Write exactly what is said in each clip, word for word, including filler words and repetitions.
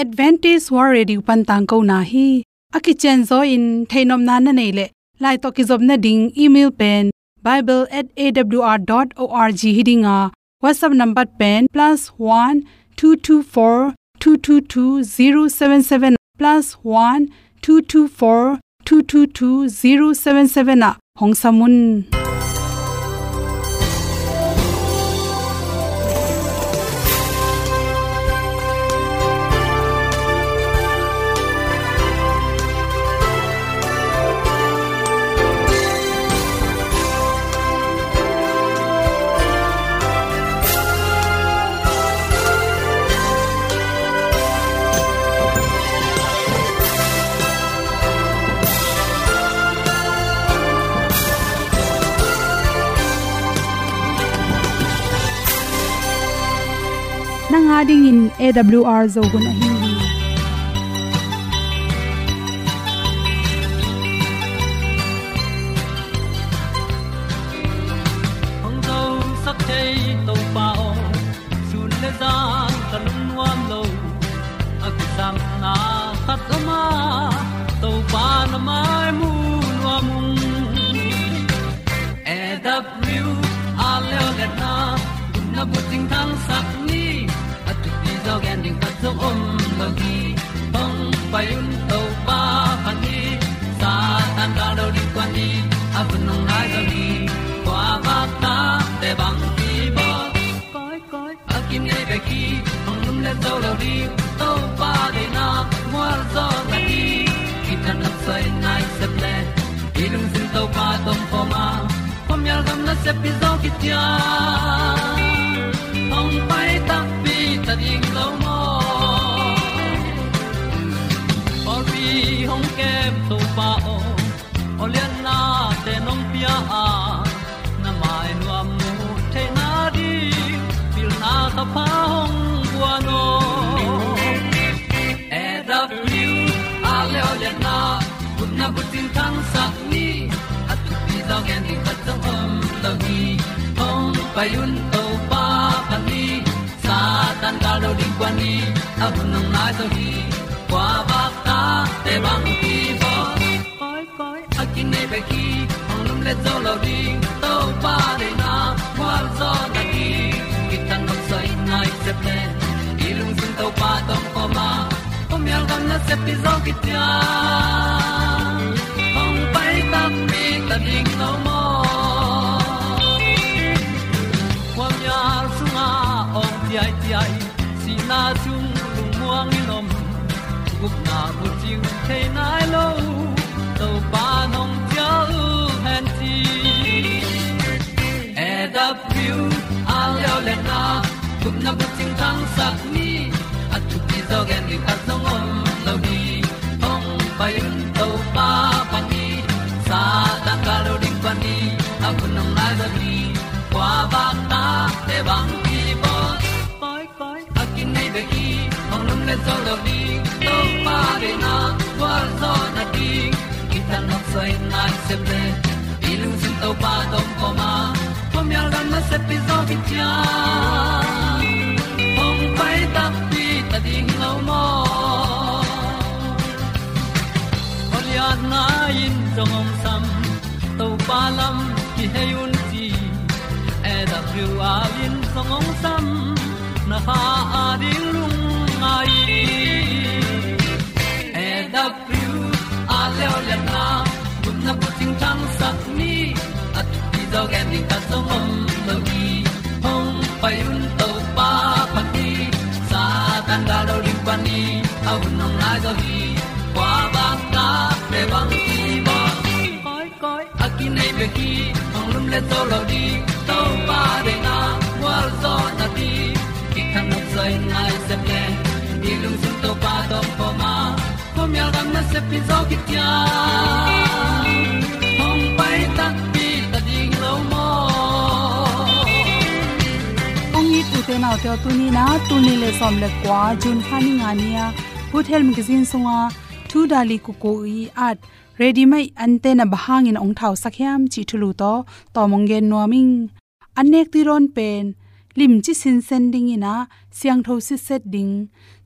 Adventist World Radio pan tangkona hi. A kicianzaw in theihnopna na neih leh, lai tawh kizopna ding email pen bible at A W R dot org hi ding a, WhatsApp number pen plus one two two four two two two zero seven seven, plus one two two four two two two zero seven seven ah hong sam un. Nang a dingin A W R Zo hun ahi hi. Hong zosak thei Topa aw, sun le zan ka lungnuam lo. A kisapna khat om a, Topa na mai mu nuam ung. A W R leo le na, gupna bucing thangsak ni, a thupi zaw gen ding khat zong om lo hi. Hong pai un Topa phat ni, Satan ka lo ding kua ni, a hun hong nai zo hi. Kua vak ta te bang ki bawl. Koi, koi, a kinei bek hi, hong lum le zo lo ding, Topa deihna mual zaw na hi. Kithat nopsai nai sep le, i lungsim Topa tawh om khawm a, khuamial gam nasep pi zaw kician. Hong pai takpi ta ding lo maw? Pawlpi hong kem Topa aw, aw lianna te nong pia a, na mai nuam mu theihna ding, pilna ka pha hong guan aw. A W R leo le na, gupna bucing thangsak ni, a thupi zaw gen ding khat zong om lo hi. Hong pai un Topa phat ni, Satan ka lo ding kua ni, a hun hong nai zo hi. Kua vak ta te bang ki bawl. Koi, koi, a kinei bek hi, hong lum le zo lo ding, Topa deihna mual zaw na hi. Kithat nopsai nai sep le, i lungsim Topa tawh om khawm a, khuamial gam nasep pi zaw kician. Hong pai takpi ta ding lo maw? Khuamial sungah awng ciaiciai, sihna sung lungmuang in om, gupna bucing thei nai lo, Topa nong cial hen ci. A W R leo le na, gupna bucing thangsak ni, a thupi zaw gen ding khat zong om lo hi. Hong pai un Topa phat ni, Satan ka lo ding kua ni, a hun hong nai zo hi. Kua vak ta te bang ki bawl. Koi, koi, a kinei bek hi, hong lum le zo lo ding, Topa deihna mual zaw na ding. Kithat nopsai nai sep le, i lungsim Topa tawh om khawm a, khuamial gam nasep pi zaw kician. Hong pai takpi ta ding lo maw? Aw lianna in zong hong sam, Topa lam kihei un ci. A W R in zong hong sam, na kha a ding lungngai. A W R leo le na, gupna bucing thangsak ni, a thupi zaw gen ding khat zong om lo hi. Hong pai un Topa phat ni, Satan ka lo ding kua ni, a hun hong nai zo hi. Kua vak ta te bang ki bawl. Koi, koi, a kinei bek hi, hong lum le zo lo ding, Topa deihna mual zaw na ding. Kithat nopsai nai sep le, i lungsim Topa tawh om khawm a, khuamial gam nasep pi zaw kician. Hong pai takpi ta ding lo maw? Ong it u te nau te aw, tuni na, tul nih le sawm le kua, June kha ni nga ni a, Good Health Magazine sunga, Thu Dali Kuku i at, ready-made antenna bang hangin ong thausak hiam cih thulu tawh tawm ong gen nuam ing. An nek tuidawn pen, limci sinsen dingin ah, siangtho sitset ding,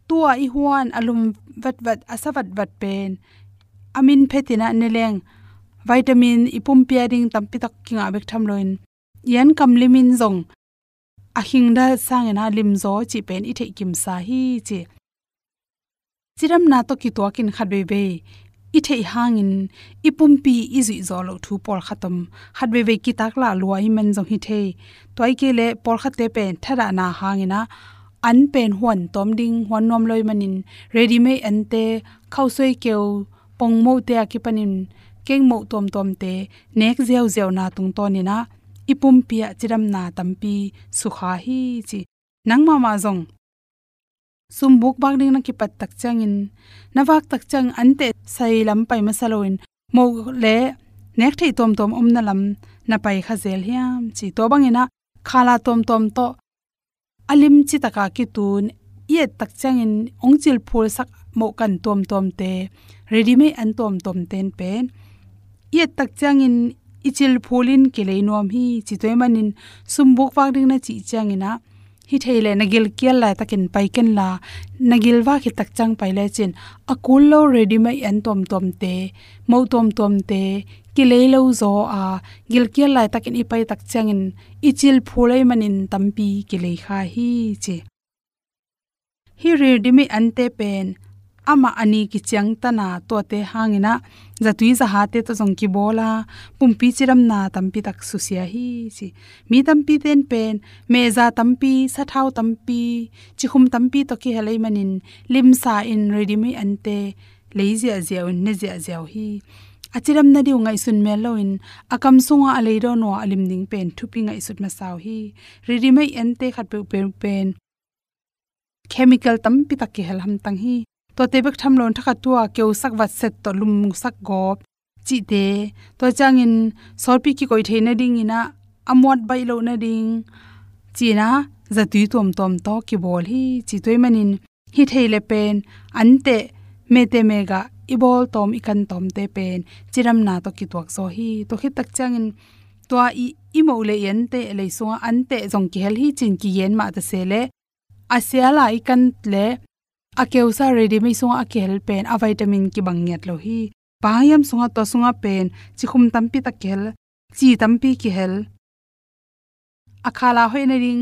tua i huan a lum vatvat, a sa vatvat pen a min phetin ah ne leng vitamin i pumpi a ding tampi tak kingah bek tham loin i an kam limin zong a khingda sangin ah limzaw cih pen i theih kimsa hi ci. Cidamna tawh kituakin khat veivei i theih hangin i pumpi i zuihzawh loh thu pawlkhat om. Khat veivei kitaklah lua i man zong hi thei. Tua i kei leh pawlkhatte pen thadahna hangin ah an pen huan tawm ding, huan nuam lo i manin ready-made ante, khausuai keu, pongmote a kipanin kengmoh tuamtuamte nek ziauziauna tungtawnin ah i pumpi ah cidamna tampi sukha hi ci. Nang mahmah zong sumbuk vak ding na kipat tak ciangin, na vak tak ciang anteh sai lam pai masa loin moh le nek theih tuamtuam omna lam na pai kha zel hiam ci. Tua bangin ah khala tuamtuam tawh a lim citaka kitun i et tak ciangin hong cilphulsak mohkan tuamtuamte, ready-made an tuamtuamte in pen i et tak ciangin i cilphulin kilei nuam hi ci. Tua i manin sumbuk vak ding na cih ciangin ah hi thei leh na gilkial laitakin pai kenla, na gilvak hi tak ciang pai lecin a kul lo ready-made an tuamtuamte, moh tuamtuamte kilei lo zaw a, gilkial laitakin i pai tak ciangin i cilphul ahih manin tampi kilei kha hi ci. Hih ready-made ante pen amah a ni kiciangtan a, tuate hangin ah zatui zahate tawh zong kibawl a, pumpi cidamna tampi tak susia hi ci. Mi tampite in pen mehza tampi, sathau tampi, cikhum tampi tawh kihel ahih manin limsa in ready-made ante lei ziahziah un, ne ziahziah uh hi. A cidam nading uh ngaihsun mel loin a kam sungah a leidawn uh a lim ding pen thupi ngaihsut masa uh hi. Ready-made ante khat peuhpeuh pen chemical tampi tak kihel hamtang hi. Tuate bek tham loin thakhat tua keusak vatset tawh lumsak gawp cihte, tua ciangin sawtpi kikoih theih nadingin ah a muat baih loh nading ci-in ah zatui tuamtuam tawh kibawl hi ci. Tua i manin hi thei le pen anteh mehte mehgah i bawl tawm, i kan tawmte pen cidamna tawh kituak zaw hi. Tua khit tak ciangin tua i, i moh le i anteh lei sungah anteh zong kihel hi ci-in kigen mah ta se leh a sial a i kan le a keusa ready-made sungah a kihel pen a vitamin kibang ngiat lo hi. Bang hang hiam sungah, tua sungah pen cikhum tampi tak kihel, ci tampi kihel, a khala hoih nading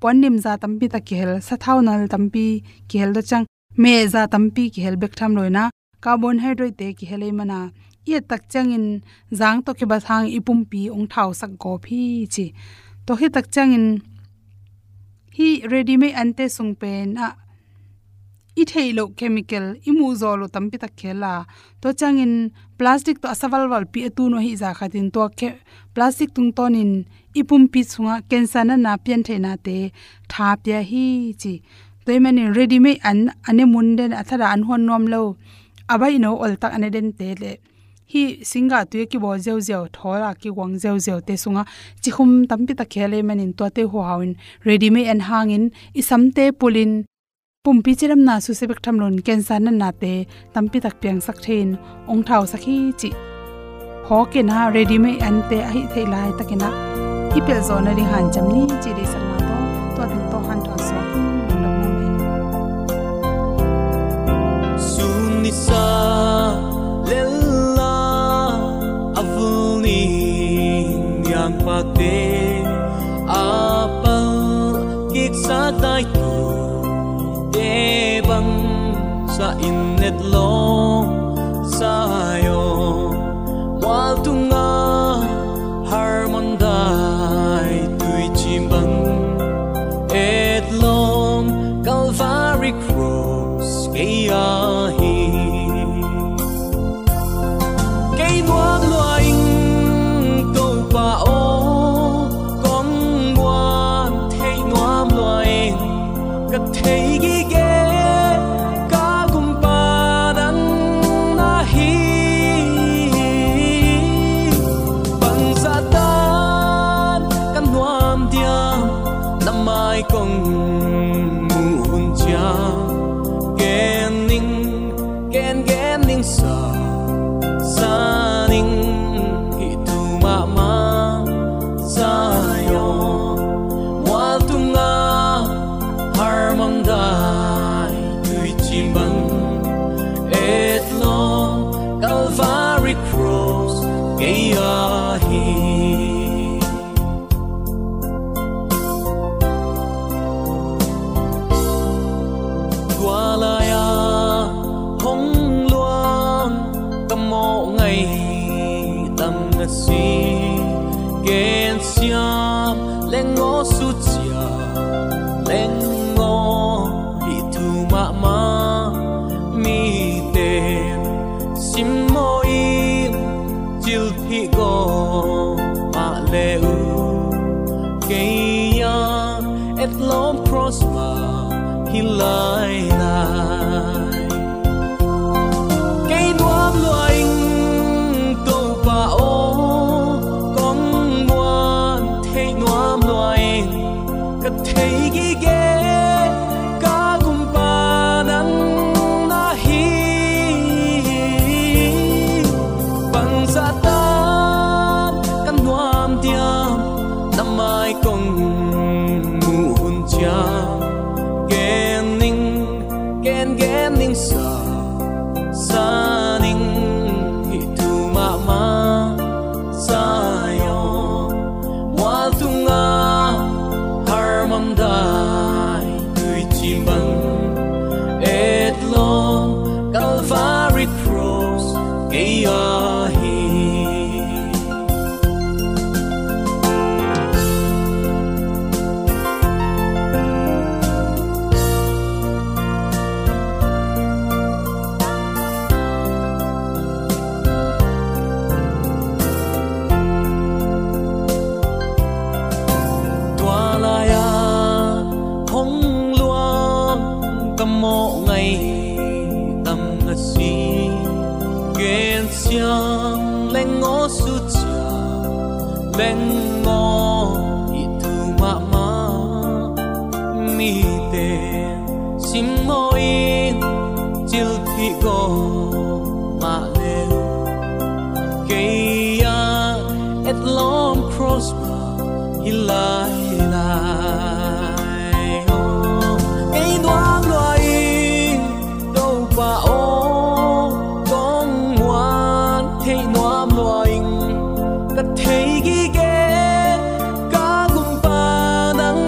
puannimza tampi tak kihel, sathau nal tampi kihel, tua ciang mehza tampi kihel bek tham loin ah carbohydrate-te kihel ahih manin i et tak ciangin zang tawh kibat hang i pumpi hong thausak gawp hi ci. Tua khit tak ciangin hih ready-made ante sung pen ah i theih loh chemical, i muh zawh loh tampi tak kihel a, tua ciangin plastic tawh a sa valvalpi a tun uh ahih zah khatin tua khe-, plastic tungtawnin i pumpi sungah cancer natna piantheihnate tha pia hi ci. Tua i manin ready-made an a ne mun den, a thadah an huan nuam lo, a baihno oltak a ne dente le hih singgah tui a kibawl ziauziau, thawl a kiguang ziauziaute sungah cikhum tampi tak kihel ahih manin tuate huhau in ready-made an hangin i samte pulin pumpi cidamna susia bek tham loin cancer natnate tampi tak piangsak thei-in hong thausak hi cih phawk in ah, ready-made ante ahih theih laitakin ah i pelh zawh nading hanciam ni cih deihsakna tawh tua teng tawh hanthawn suak in lungdam mahmah hi. Sun nisa lel a a vul ni niangpate a pal kiksa taitute bang sa in etlawm Zion mual tunga Hermon dai tuicim bang etlawm Calvary Cross kei ahi. Kei nuam lua ing Topa aw, kong muan thei nuam lua ing, ka thei gige ka gumpa nang na hi. Bangzah dan ka nuam diam, na mai kong muh hun ciang gen ning, gen gen ning sa, sa ning hih thu mahmah Zion mual tunga Hermon dai tui si. Gensiam leng aw, susia leng aw, hih thu mahmah mite simmaw in, cilphih gawp mah le uh, kei a etlawm cross mah hi lailai. Kei nuam lua ing, Topa aw, kong muan theih nuam lua ing. Ka thei gige ka gumpa nang na hi. Bangzah tan ka nuam diam, na mai kong muh hun ciang. Gen ning, gen gen ning sa, sa ning, hih thu mahmah sa aw. Mual tungah harmam dai, tui cim bang etlawm, Calvary cross kei a hi. Tua lai-a hong luang ka mawh ngaihdam na si. Gensiam leng aw, susia leng aw, hih thu mahmah mite simmaw in, cilphih gawp mah le uh, kei a etlawm cross mah hi lailai. Kei nuam lua ing, Topa aw, kong muan theih nuam lua ing. Ka thei gige ka gumpa nang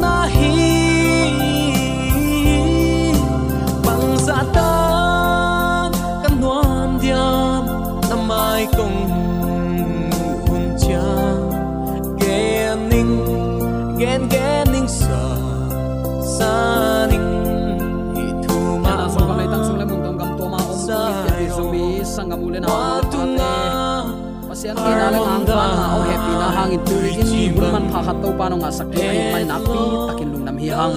na hi. Bangzah tan ka nuam diam, na mai kong muh hun ciang. Gen ning, gen gen ning sa, sa ning, hih thu mahmah. Sung kam leitang sung le mun tawh gam tuam a om sa, Zomi sanggam u le nau, Pasian itna le ngangpanna, hong hehpihna hangin tuni in hun manpha khat Topa in hong ngahsak ding ahih manin nakpi takin lungdam hi hang.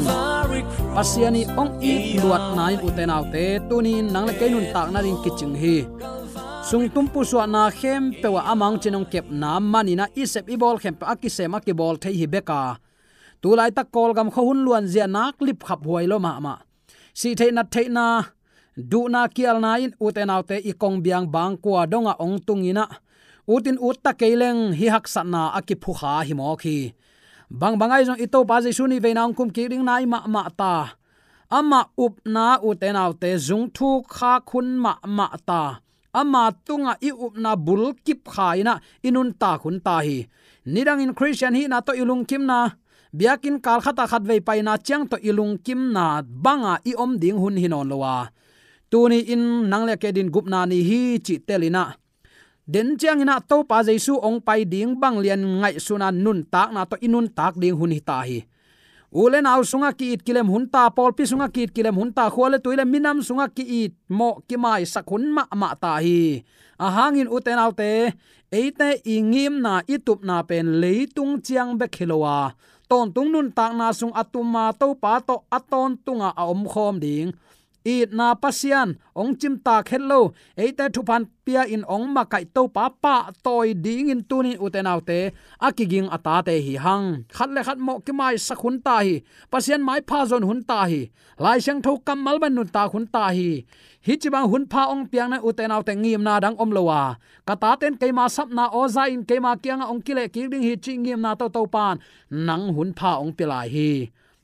Pasian in hong it luatna in, ute naute, tuni in nang le kei nuntakna ding kicing hi. Sungtum pusuahna khempeuh ah amah hong cin hong kepna manin ah i sep i bawl khempeuh a kisem a kibawl thei hi bek a, tu laitak Kawlgam khua hun luanzia nak lipkhap huai lo mahmah. Sih theih nat theihna, duhna kialna in, ute naute, i kong biang bang kua dongah hong tung in ah, ut in ut ta kei leng hih haksatna a kiphukha hi mawk hi. Bangbang ahi zong i Topa Jesu nih veina hong kum kik ding nai mahmah ta. Amah upna, ute naute, zung thuk khak hun mahmah ta. Ama tungah i upna bul kipkha in ah i nuntak hun ta hi. Nidangin Khristian hihna tawh i lungkimna, biakinn kal khatah khatvei paina ciang tawh i lungkimna banga i om ding hun hi nawn lo a, tuni in nang le kei adingin gupna ni hi cih tel in ah, den ciangin ah Topa Jesu hong pai ding bang lian ngaihsun a nuntakna tawh i nuntak ding hun hi ta hi. U le nau sungah ki-it kilem hun ta, pawlpi sungah ki-it kilem hun ta, khua le tui le minam sungah ki-it mawh kimaisak hun mahmah ta hi. Ahang in, ute naute, eite i ngimna, i tupna pen leitung ciang bek hi lo a, tawntung nuntakna sung a tum a, Topa tawh a tawntungah a omkhawm ding itna Pasian hong cimtak het lo, eite thupha pia in hong makaih Topa pahtawi dingin tuni in, ute naute, a kiging a tate hi hang. Khat le khat mawh kimaisak hun ta hi. Pasian maipha zon hun ta hi. Lai Siangtho kammal bang nuntak hun ta hi. Hih ci bang hun pha hong piakna in, ute naute, ngimna dang om lo a, ka taten keima sapna aw za in keima kiangah hong kileh kik ding hi cih ngimna tawh Topa in nang hun pha hong pia lai hi.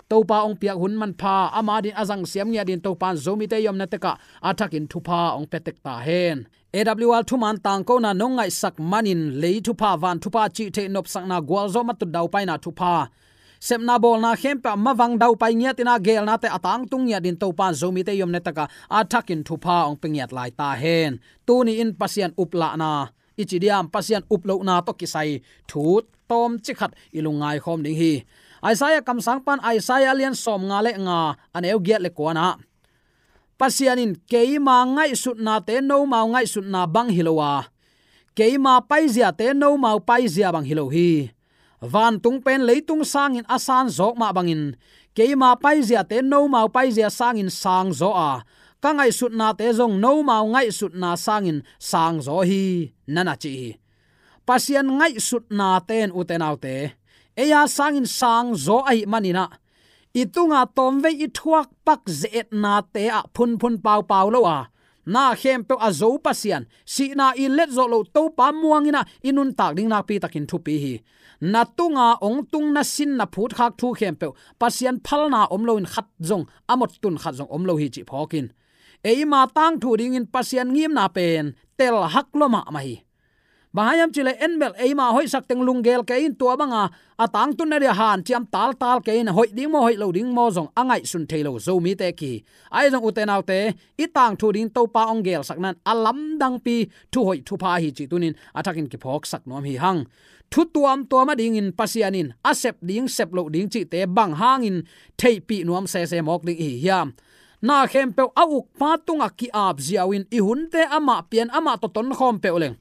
Topa hong piak hun manpha, ama adingin a zangsiam ngiat dingin Topa in Zomite i omna tekah a thakin thupha hong pia tek ta hen. A W R thuman tangkona nong ngaihsak manin lei thupha, van thupha, cih theih nopsakna, gualzawh, matut daupaina thupha, sepna bawlna khempeuh ah mavang daupai ngiat in ah, geelnate a tangtung ngiat dingin Topa in Zomite i omna tekah a thakin thupha hong pia ngiat lai ta hen. Tuni in Pasian uplahna, i ci diam, Pasian up lohna tawh kisai thu tawmcik khat i lungngai khawm ding hi. Isaiah kamsang pan Isaiah a lian sawmnga le nga a neu giat le kuana Pasian in keima ngaihsutnate nomau ngaihsutna bang hi lo a, keima paiziate nomau paizia bang hi lo hi. Vantung pen leitung sangin a san zawk mah bangin keima paiziate nomau paizia sangin sang zaw a, ka ngaihsutnate zong nomau ngaihsutna sangin sang zaw hi, na na ci hi. Pasian ngaihsutnate in, ute naute, ei a sangin sang zaw ahih maninah i tunga tawmvei i thuak pak ze-etnate ah phunphun paupau lo a, na khempeuh a zo Pasian, sihna i let zawh loh Topa muanginah i nuntak ding nakpi takin thupi hi. Na tunga ong tung na sin na phutkhak thu khempeuh Pasian phalna om loin khat zong a mottun khat zong om lo hi cih phawkin, eima tangthu dingin Pasian ngimna pen telhak lua mahmah hi. Bang hang hiam cihleh en bel eima hoihsak teng lunggel kei in, tua banga a tangtun na dia hanciam taltal kei in, hoih ding maw hoih lo ding maw zong a ngaihsun thei lo Zomite kihi. Ahi zong, ute naute, i tangthu ding Topa ong gelsak nan a lamdangpi thuhoih thupha hi cih tunin a thakin kiphawksak nuam hi hang. Thu tuamtuam a dingin Pasian in a sep ding sep loh ding cihte bang hangin theihpih nuam sese mawk ding i hi hiam? Na khempeuh a ukpa tungah ki-ap ziau in i hunte amah pian amah tawh tonkhawm peuh leng,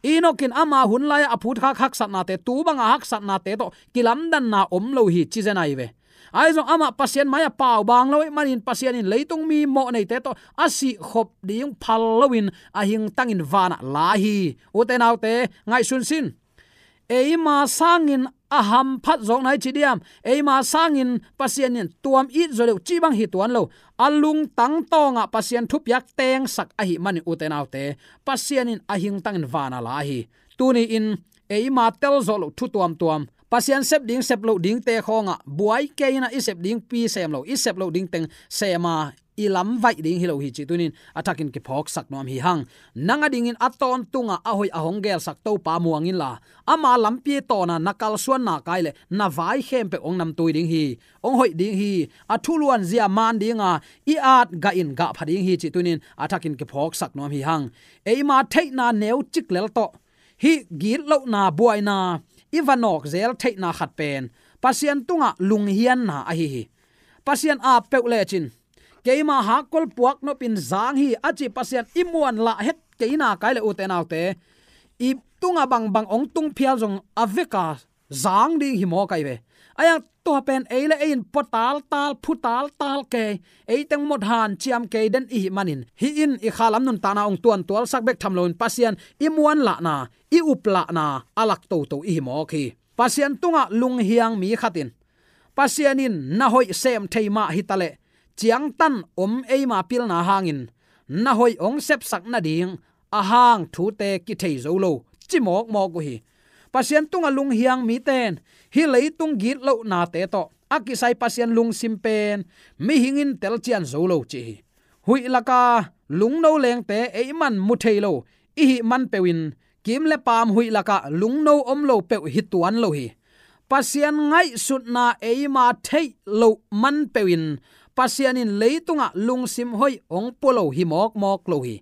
Enoch in ama hun lai-ah a phutkhak haksatnate, tu banga haksatnate tawh kilamdanna om lo hi ci zen ahi ve. Ahi zong amah Pasian mai-ah pau bang lo ahih manin Pasian in leitung mi mawhneite tawh a sihkhop ding phal loin a hingtangin vanah la hi. Ute naute, ngaihsun sin. Eima sangin a hamphat zawkna i ci diam, eima sangin Pasian in tuam it zaw deuh cih bang hi tuan lo. A lungtang tawngah Pasian thupiak tengsak ahih manin, ute naute, Pasian in a hingtangin vanah la hi. Tuni-in eima tel zawh loh thu tuamtuam, Pasian sep ding sep loh dingte khawngah buai kei inah i sep dingpi sem lo, i sep loh ding teng sema i lamvaih ding hi lo hi cih tunin a thakin kiphawksak nuam hi hang. Nang a dingin a tawntungah a hoih a hong gelsak Topa muang inla, ama lampi tawna na kalsuan nak ai leh na vai khempeuh hong namtui ding hi. Hong hoih ding hi. A thuluan zia man dinga i at gah in gah pha ding hi cih tunin a thakin kiphawksak nuam hi hang. Eima theihna neucik lel tawh hih gitlohna buaina i va nawk zel theihna khat pen Pasian tungah lunghianna ahi hi. Pasian ap peuh lecin, keima hakkol puak nopin zang hi a ci Pasian i muanlah het kei nak ai leh, ute naute, i tungah bangbang hong tung phial zong a veka zang ding hi mawk ai ve. Ahi hang tua pen ei le ei in pua taltal, phu taltal kei, ei teng mawh hanciam kei den i hih manin, hih in i khalam nuntakna hong tuantualsak bek tham loin Pasian i muanlahna, i uplahna a lak toto i hi mawk hi. Pasian tungah lunghiang mi khat in, Pasian in na hoih sem thei mah hi taleh, ciangtan om eima pilna hangin na hoih hong sepsak nading a hang thute kithei zo lo, ci mawkmawk uh hi. Pasian tungah lunghiang mite in hih leitung gitlohnate tawh a kisai Pasian lungsim pen mihing in telcian zo lo ci hi. Huih laka lungno lengte ei man mu thei lo i hih man peuhin, kim le paam huih lakah lungno om lo peuh hi tuan lo hi. Pasian ngaihsutna eima theih loh man peuhin Pasian in leitungah lungsim hoih hong pua lo hi mawkmawk lo hi.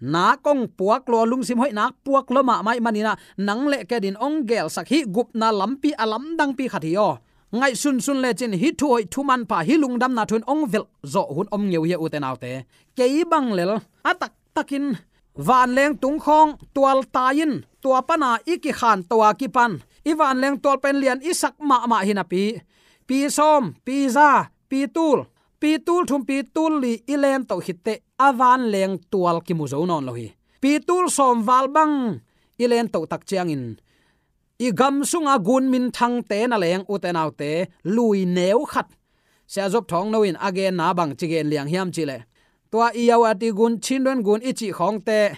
Nak hong puak lua, lungsim hoih nak puak lua mahmah ih maninah nang le kei adingin hong gelsak hih gupna lampi a lamdangpi khat hi aw. Ngaihsunsun lecin hih thu hoih thu manpha, hih lungdamna thu in hong velh zawh hun om ngeu hi a, ute naute. Kei bang lel a taktakin vanleng tungkhawng tualtai in, tua pana i kikhanto a kipan i vanleng tual pen lian i sak mahmah hi napi, pi sawm, pi za, pi tul, pi tul thum, pi tul li i lentoh khitteh a vanleng tual kimu zo nawn lo hi. Pi tul sawm val bang i lentoh tak ciangin i gam sunga gun minthangte na leng, ute naute, lui neu khat. Sia Zop Thawng No in a genna bang ci gen liang hiam cihleh, tua i yau a ti gun, Chin Duan gun i cih khawngte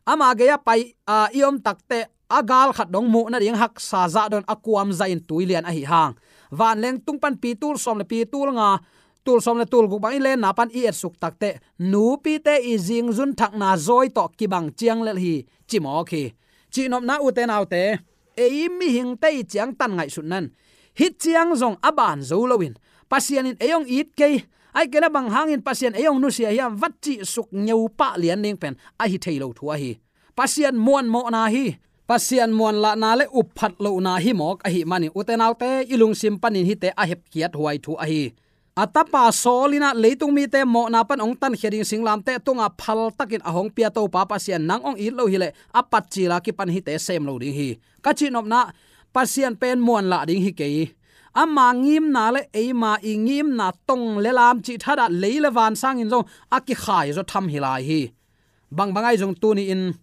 ama gei a pai a i om takteh a gal khat dong muh nading haksa zah don a kuam zah in tui lian ahi hang. Vanleng tung pan pi tul sawm le pi tul nga, tul sawm le tul guk bang i lenna pan i etsuk takteh nupite i zingzun thakna zawi tawh kibang ciang lel hi, ci mawk hi. Cihnopna, ute naute, ei mihingte i ciangtan ngaihsutna in hih ciang zong a ban zo loin, Pasian in ei hong it kei, ahih kei leh bang hangin Pasian ei hong nusia hiam, va cihsuk ngeu pah lian ding pen ahi thei lo thu ahi. Pasian muanmawhna hi. Pasian muanlahna le upphat lohna hi mawk ahih manin, ute naute, i lungsim panin hihte a hepkhiat huai thu ahi. A tapa Saul in ah leitung mite mawhna pan hong tankhia ding singlamteh tungah phaltakin a hong pia Topa Pasian nang hong it lo hileh a patcil a kipan hihte sem lo ding hi. Ka cihnopna, Pasian pen muanlah ding hi kei. Ama ngimna le eima i ngimna tong le lam cih thadah lei le van sangin zong a kikhai zaw tham hi lai hi. Bangbang ahi zong tuni-in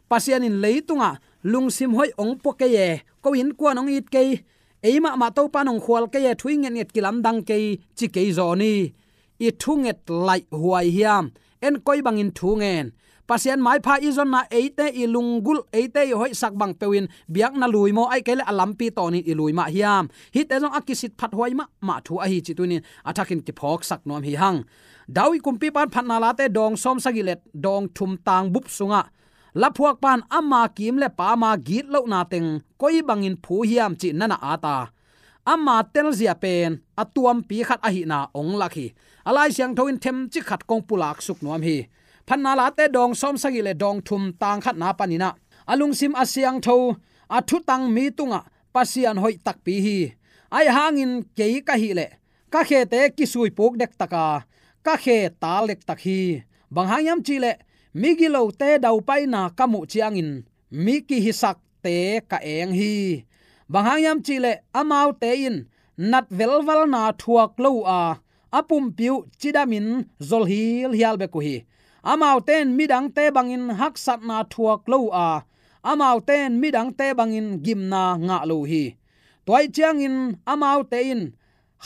Pasian in leitungah lungsim hoih hong pua kei e, ko innkuan hong it kei, ei mahmah Topa in hong khual kei e, thu i ngetnget kilamdang kei, ci kei zaw ni. I thunget laih huai hiam? En koi bangin thu ngen. Pasian maipha i zonna eite i lunggulh, eite i hoihsak bang peuhin biakna lui maw, ahih kei leh a lampi tawnin i lui mah hiam? Hihte zong a kisit phat huai mahmah thu ahi cih tuni-in a thakin kiphawksak nuam hi hang. David kumpipa in Phatna Late dawng sawm sagih le dawng thum tang bup sungah, laphuakpa in ama kim le paam a gitlohna teng koi bangin phu hiam cih na na at a, ama telzia pen a tuampi khat ahihna hong lak hi. A Lai Siangtho in themcik khat kong pulak suk nuam hi. Phatna Late dawng sawm sagih le dawng thum tang khatna panin ah, a lungsim a siangtho, a thutang mi tungah Pasian hoih takpi hi. Ahih hangin kei ka hih leh ka khete kisuipuk dektak a, ka khe tal dektak hi. Bang hang hiam cih leh migilote daupaina ka muh ciangin mi kihisakte ka eng hi. Bang hang hiam cih leh amaute in nat velvalna thuak lo uh a, a pumpi uh cidamin zol hilhial bek uh hi. Amaute in midangte bangin haksatna thuak lo uh a, amaute in midangte bangin gimna ngah lo uh hi. Tua ahih ciangin amaute in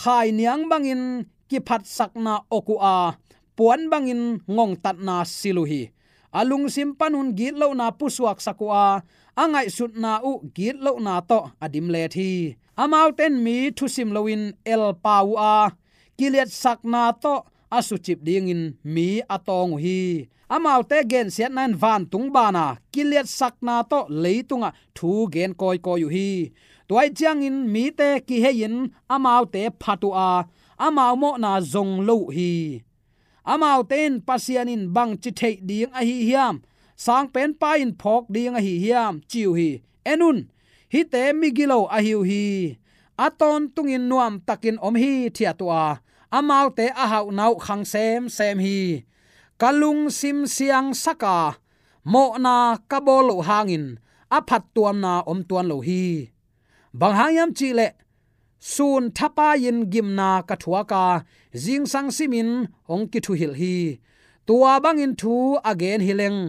khainiang bangin kiphatsakna awk uh a, puan bangin ngongtatna sil uh hi. A lungsim panun gitlohna pusuaksak uh a, a ngaihsutna uh gitlohna tawh a dimlet hi. Amaute in mi thusim loin elpau uh a, kiliatsakna tawh a sucip dingin mi a tawng uh hi. Amaute gensiatna in vantung ban a, kiliatsakna tawh leitungah thu gen kawikawi uh hi. Tua ahih ciangin mite kihei-in amaute phat uh a, amau mawhna zong lo uh hi. Amaute in, Pasian in bangci theih ding ahi hiam? Sangpenpa in phawk ding ahi hiam? Ci uh hi. En un, hihte migilo ahi uh hi. A tawntungin nuamtakin om hithiat uh a, amaute a hauhna uh khang semsem hi. Ka lungsim siangsak a, mawhna ka bawl loh hangin a phattuamna om tuan lo hi. Bang hang hiam cih leh sun thapai-in gimna ka thuak a, zingsang simin hong kithuhilh hi. Tua bangin thu a gen hi leng,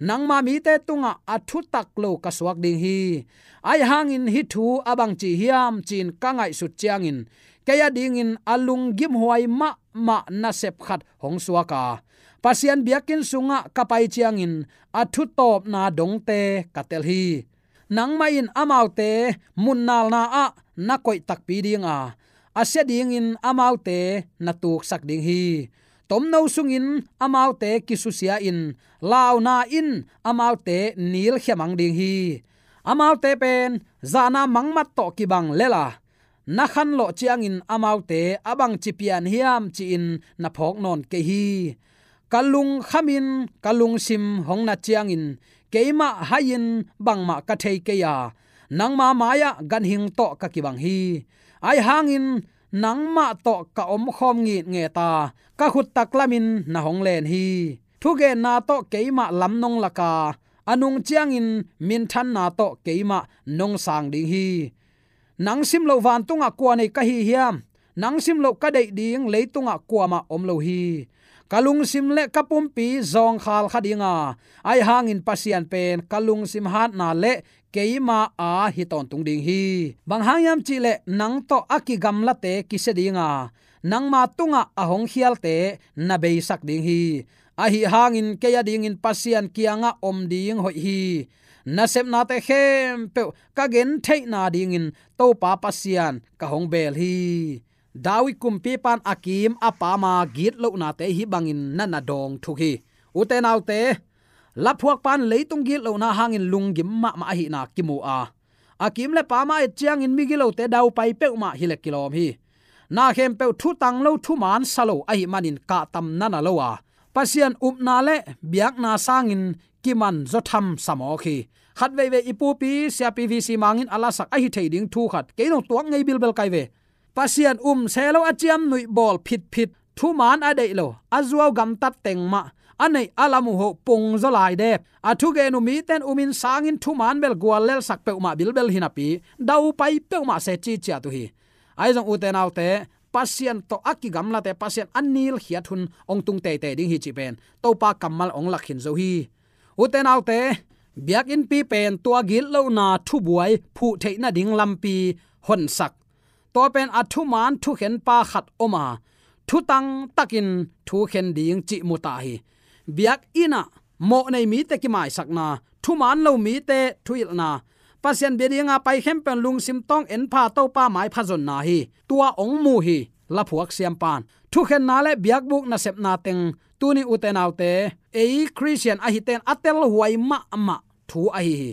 nangma mite tungah a thutak lo ka suak ding hi. Ahih hangin hih thu a bangci hiam ci-in ka ngaihsut ciangin, kei adingin a lunggimhuai mahmah nasep khat hong suak a, Pasian biakinn sungah ka pai ciangin a thutawpna dongte ka tel hi. Nangmah in amaute munnalna ah na koih takpi ding a, a sia dingin amaute na tuksak ding hi. Tomno sungin amaute kisusia-in, launa in amaute nilkhia mang ding hi. Amaute pen zahna mangmat tawh kibang lel a, na khanlawh ciangin amaute a bangci pian hiam ci-in na phawk nawn kei hi. Ka lungkhamin ka lungsim hong nat ciangin keimah hai-in bangmah ka thei kei a, nangma mai-ah ganhing tawh ka kibang hi. Ahih hangin nangmah tawh ka omkhawm ngitnget a, ka khut taklamin na hong len hi. Thugenna tawh keimah lam nong lak a, a nung ciangin minthanna tawh keimah nong sang ding hi. Nang simloh vantungah kua nei ka hi hiam? Nang simloh ka deih ding leitungah kuamah om lo hi. Ka lungsim le ka pumpi zawngkhal kha ding a, ahih hangin Pasian pen ka lungsim hatna le keima aa hi tawntung ding hi. Bang hang hiam cih leh nang tawh a kigamlate kisia ding a, nangma tungah a hong khialte na beisak ding hi. Ahih hangin kei adingin Pasian kiangah om ding hoih hi. Nasepnate khempeuh ka gentheihna dingin Topa Pasian ka hong bel hi. David kumpipa in a kim a paam a gitlohnate hih bangin na na dawng thuk hi. Ute naute, laphuakpa in leitung gitlohna hangin lunggim mahmah ahihna kimu a, a kim le paam a et ciangin migilote daupai peuhmah hileh kilawm hi. Na khempeuh thutang lo, thuman sa lo ahih manin kahtam na na lo a, Pasian upna le biakna sangin kiman zaw tham sa mawk hi. Khat veivei i pupi siapi V C Mang in a lasak ahi thei ding thu khat kei nong tuak ngei bilbel kai ve. Pasian um se lo a ciamnuih bawl phitphit, thuman a deih lo, a zuau gamtat teng mah, a neih a lam uh hoh pung zaw lai dep, a thugen uh mite in umin sangin thuman bel guallelsak peuhmah bilbel hi napi, daupai peuhmah se ciciat uh hi. Ahi zong ute naute, Pasian tawh a kigamlate Pasian a nilkhiat hun hong tung teitei ding hi cih pen Topa kammal hong lak khin zo hi. Ute naute, biakinnpi pen tua gitlohna thubuai phuh theih nading lampi honsak, tua pen a thuman thukhenpa khat om a, thutang takin thukhen ding cih mu ta hi. Biakinn ah mawhnei mite kimaisakna, thuman lo mite thuhilhna, Pasian bia dinga pai khempeuh in lungsim tawng enpha Topa maipha zonna hi. Tua hong mu hi laphuak siampan. Thukhenna le biakbuk nasepna teng tuni ute naute, ei Khristian ahite in a telhuai mahmah thu ahi hi.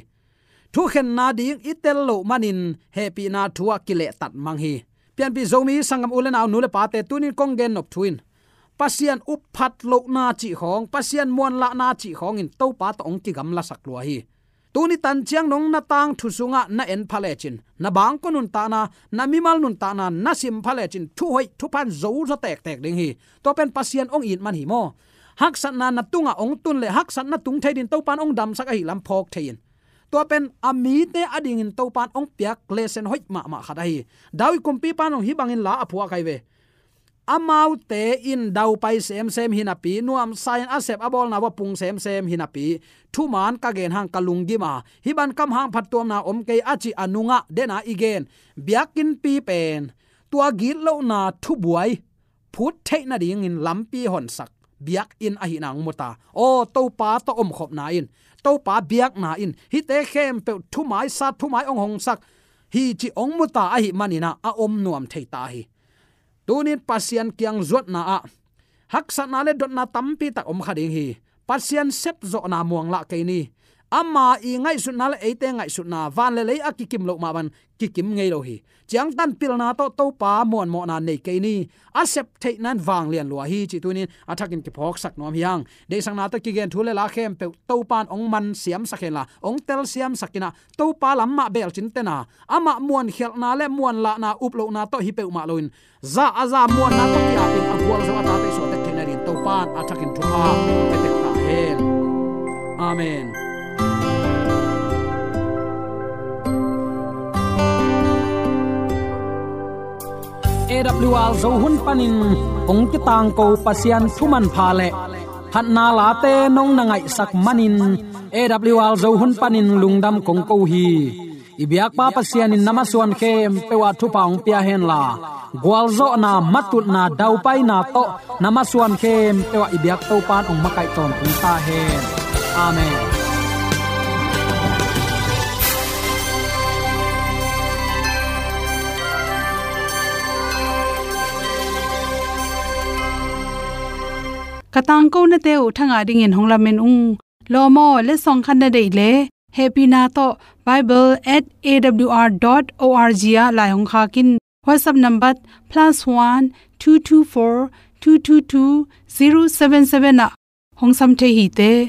Thukhenna ding i tel loh manin hehpihna thu ah kilehtat mang hi. Pianpih Zomi sanggam u le nau, nu le pate, tunin kong gen nop thu in Pasian upphat lohna cih khawng, Pasian muanlahna cih khawngin Topa tawh hong kigamlasak lua hi. Tuni tanciang nong na tangthu sungah na en pha lecin, na bangkua nuntakna, na mimal nuntakna na sim pha lecin, thuhoih thupha in zo zaw tektek ding hi. Tua pen Pasian hong it man hi maw? Haksatna na tungah hong tun le haksatna tung thei dingin Topa in hong damsak ahih lam phawk thei in. Tua pen a mite adingin Topa in hong piak lesen hoih mahmah khat ahi. David kumpipa in hong hih bangin la a phuak ahi ve. Amaute in daupai semsem hi napi, nuamsa in a sep a bawlna uh a pung semsem hi napi, thuman ka gen hang ka lunggim a, hih bang kam hang phattuamna om kei a cih a nungah dena i gen biakinnpi pen tua gitlohna thubuai phut theih nadingin lampi honsak biakinn ahihna hong mu ta. Aw, Topa tawh omkhopna in, Topa biakna in hihte khempeuh thumaisa, thumai hong hongsak hi cih hong mu ta ahih manin ah a om nuam thei ta hi. Tunin Pasian kiang zuatna ah haksatna le dotna tampi tak om kha ding hi. Pasian sepzawhna muanglah kei ni. Ama i ngaihsutna le eite ngaihsutna van le lei a kikim loh mah bang kikim ngei lo hi. Ciangtan pilna tawh Topa muanmawhna nei kei ni. A sep theihna in vanglian lua hi cih tunin a thakin kiphawksak nuam hi hang. Deihsakna tawh kigen thu le la khempeuh Topa in hong man siamsak hen la, hong tel siamsak in ah, Topa lam mah belcin tena, amah muankhialhna le muanlahna, uplohna tawh hi peuhmah loin, za a za muanna tawh kiapin a gualzo a tate suahtek theihna dingin Topa in a thakin thupha hong pia tek ta hen. Amen. A W R Zo hun panin hong kitangko Pasian thu manpha le phatna late nong na ngaihsak manin A W R Zo hun panin lungdam kong ko hi. I biakpa Pasian in na masuan khempeuh ah thupha hong pia hen la, gualzawhna, matutna, daupaina tawh na masuan khempeuh ah i biak Topa in hong makaih tawntung ta hen. Amen. Ka tangkonate uh thangah dingin hong lamen ung. Lawm aw, letsong khat na deih leh, hehpihna tawh bible at A W R dot O R G ah lai hong khak in. WhatsApp number plus one two two four two two two zero seven seven ah hong sam thei hi te.